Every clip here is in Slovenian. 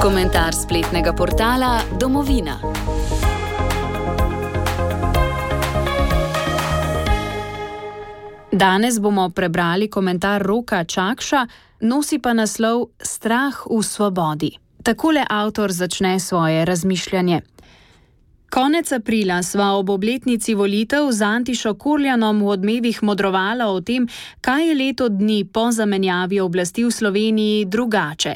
Komentar spletnega portala Domovina. Danes bomo prebrali komentar Roka Čakša, nosi pa naslov Strah v svobodi. Takole avtor začne svoje razmišljanje. Konec aprila sva ob obletnici volitev z Antišo Kurljanom v Odmevih modrovala o tem, kaj je leto dni po zamenjavi oblasti v Sloveniji drugače.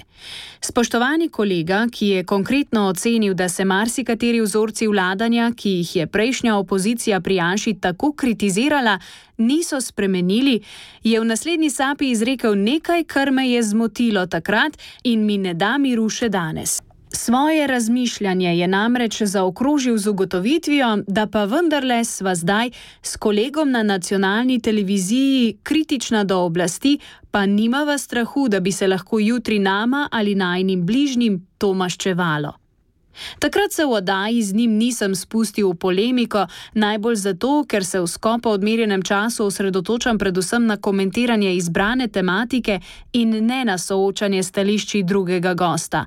Spoštovani kolega, ki je konkretno ocenil, da se marsikateri vzorci vladanja, ki jih je prejšnja opozicija pri Janši tako kritizirala, niso spremenili, je v naslednji sapi izrekel nekaj, kar me je zmotilo takrat in mi ne da miru še danes. Svoje razmišljanje je namreč zaokrožil z ugotovitvijo, da pa vendarle sva zdaj s kolegom na nacionalni televiziji kritična do oblasti, pa nimava strahu, da bi se lahko jutri nama ali najinim bližnjim to maščevalo. Takrat se v oddaji z njim nisem spustil v polemiko, najbolj zato, ker se v skopo odmerjenem času osredotočam predvsem na komentiranje izbrane tematike in ne na soočanje stališči drugega gosta.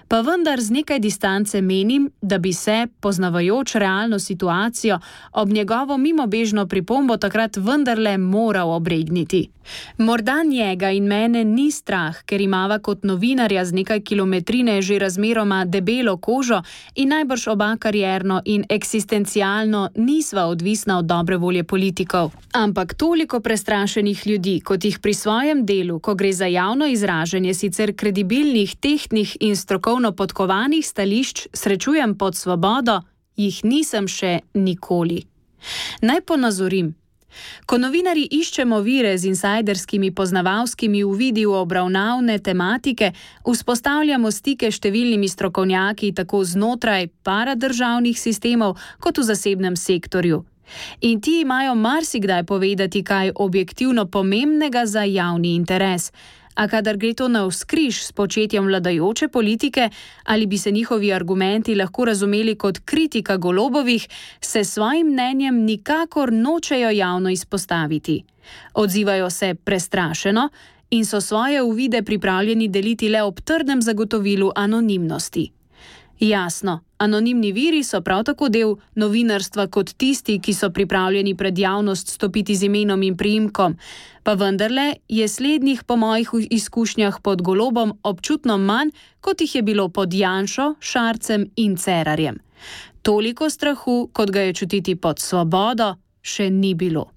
Pa vendar z nekaj distance menim, da bi se, poznavajoč realno situacijo, ob njegovo mimobežno pripombo takrat vendarle moral obregniti. Morda njega in mene ni strah, ker imava kot novinarja z nekaj kilometrine že razmeroma debelo kožo in najbrž oba karierno in eksistencialno nisva odvisna od dobre volje politikov. Ampak toliko prestrašenih ljudi, kot jih pri svojem delu, ko gre za javno izražanje sicer kredibilnih, tehtnih in strokovno podkovanih stališč, srečujem pod svobodo, jih nisem še nikoli. Naj ponazorim. Ko novinarji iščemo vire z insajderskimi poznavalskimi uvidi v obravnavne tematike, vzpostavljamo stike s številnimi strokovnjaki tako znotraj paradržavnih sistemov kot v zasebnem sektorju. In ti imajo marsikdaj povedati kaj objektivno pomembnega za javni interes. A kadar gre to navzkriž s početjem vladajoče politike, ali bi se njihovi argumenti lahko razumeli kot kritika Golobovih, se svojim mnenjem nikakor nočejo javno izpostaviti. Odzivajo se prestrašeno in so svoje uvide pripravljeni deliti le ob trdnem zagotovilu anonimnosti. Jasno, anonimni viri so prav tako del novinarstva kot tisti, ki so pripravljeni pred javnost stopiti z imenom in priimkom, pa vendarle je slednjih po mojih izkušnjah pod Golobom občutno manj, kot jih je bilo pod Janšo, Šarcem in Cerarjem. Toliko strahu, kot ga je čutiti pod Svobodo, še ni bilo.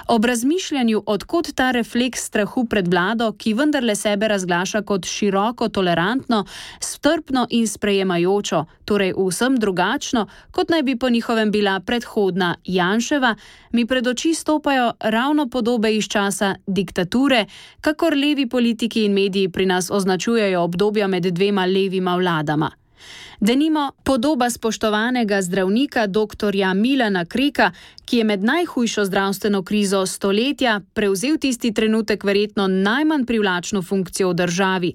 Ob razmišljanju, odkot ta refleks strahu pred vlado, ki vendarle sebe razglaša kot široko tolerantno, strpno in sprejemajočo, torej vsem drugačno, kot naj bi po njihovem bila predhodna Janševa, mi pred oči stopajo ravno podobe iz časa diktature, kakor levi politiki in mediji pri nas označujejo obdobja med dvema levima vladama. Denimo podoba spoštovanega zdravnika doktorja Milana Kreka, ki je med najhujšo zdravstveno krizo stoletja prevzel tisti trenutek verjetno najmanj privlačno funkcijo v državi,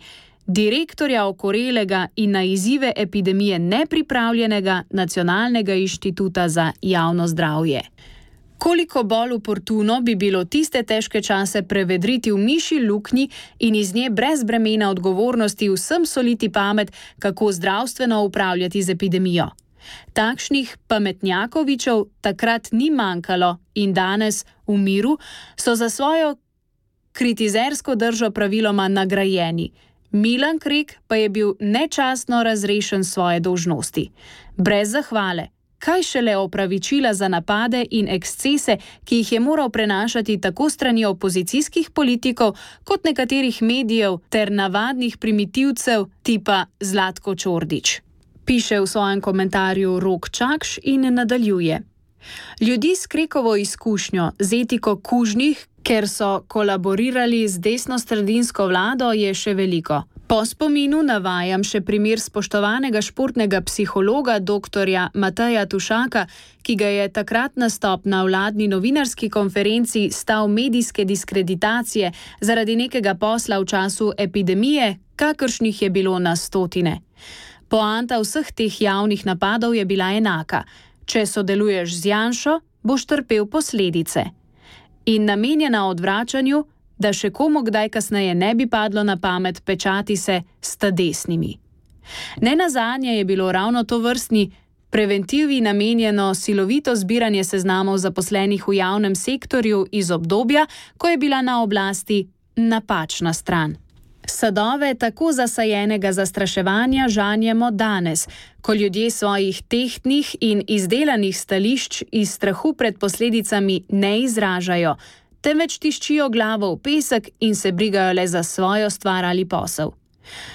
direktorja okorelega in na izzive epidemije nepripravljenega Nacionalnega inštituta za javno zdravje. Koliko bolj oportuno bi bilo tiste težke čase prevedriti v mišji luknji in iz nje brez bremena odgovornosti vsem soliti pamet, kako zdravstveno upravljati z epidemijo. Takšnih pametnjakovičev takrat ni manjkalo in danes v miru so za svojo kritizersko držo praviloma nagrajeni. Milan Krek pa je bil nečastno razrešen svoje dolžnosti. Brez zahvale. Kaj šele opravičila za napade in ekscese, ki jih je moral prenašati tako strani opozicijskih politikov kot nekaterih medijev ter navadnih primitivcev tipa Zlatko Čordić. Piše v svojem komentarju Rok Čakš in nadaljuje. Ljudi s Krekovo izkušnjo, z etiko kužnih, ker so kolaborirali z desnosredinsko vlado, je še veliko. Po spominu navajam še primer spoštovanega športnega psihologa doktorja Mateja Tušaka, ki ga je takrat nastop na vladni novinarski konferenci stal medijske diskreditacije zaradi nekega posla v času epidemije, kakršnih je bilo na stotine. Poanta vseh teh javnih napadov je bila enaka. Če sodeluješ z Janšo, boš trpel posledice. In namenjena odvračanju, da še komu kdaj kasneje ne bi padlo na pamet pečati se s ta desnimi. Nenazadnje je bilo ravno to vrstni preventivi namenjeno silovito zbiranje seznamov zaposlenih v javnem sektorju iz obdobja, ko je bila na oblasti napačna stran. Sadove tako zasajenega zastraševanja žanjemo danes, ko ljudje svojih tehtnih in izdelanih stališč iz strahu pred posledicami ne izražajo, temveč tiščijo glavo v pesek in se brigajo le za svojo stvar ali posel.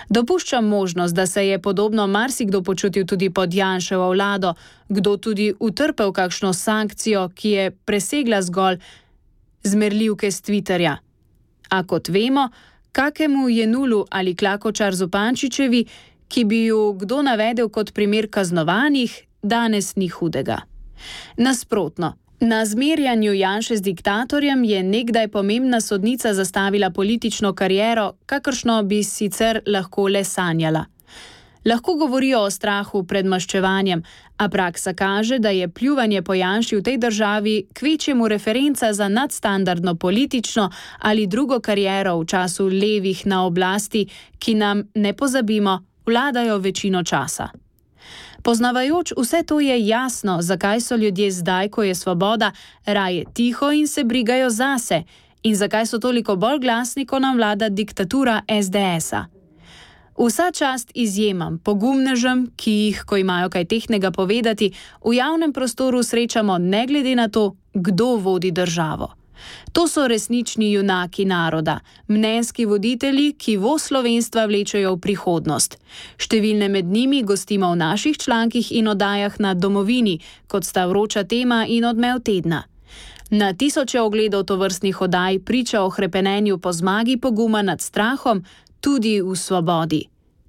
Dopuščam možnost, da se je podobno marsikdo počutil tudi pod Janševo vlado, kdo tudi utrpel kakšno sankcijo, ki je presegla zgolj zmerljivke s Twitterja. A kot vemo, kakemu Jenulu ali Klakočar Zupančičevi, ki bi ju kdo navedel kot primer kaznovanih, danes ni hudega. Nasprotno, na zmerjanju Janše z diktatorjem je nekdaj pomembna sodnica zastavila politično kariero, kakršno bi sicer lahko le sanjala. Lahko govorijo o strahu pred maščevanjem, a praksa kaže, da je pljuvanje po Janši v tej državi kvečjemu referenca za nadstandardno politično ali drugo kariero v času levih na oblasti, ki nam, ne pozabimo, vladajo večino časa. Poznavajoč vse to je jasno, zakaj so ljudje zdaj, ko je svoboda, raje tiho in se brigajo zase, in zakaj so toliko bolj glasni, ko nam vlada diktatura SDS-a. Vsa čast izjemam, pogumnežem, ki jih, ko imajo kaj tehtnega povedati, v javnem prostoru srečamo ne glede na to, kdo vodi državo. To so resnični junaki naroda, mnenjski voditelji, ki voz slovenstva vlečejo v prihodnost. Številne med njimi gostimo v naših člankih in oddajah na Domovini, kot sta Vroča tema in Odmev tedna. Na tisoče ogledov tovrstnih oddaj priča o hrepenenju po zmagi poguma nad strahom, tudi v svobodi,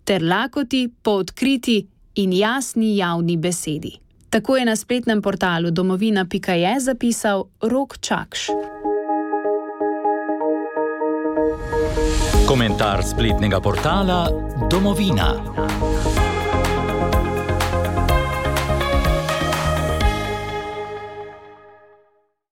ter lakoti po odkriti in jasni javni besedi. Tako je na spletnem portalu domovina.je zapisal Rok Čakš. Komentar spletnega portala Domovina.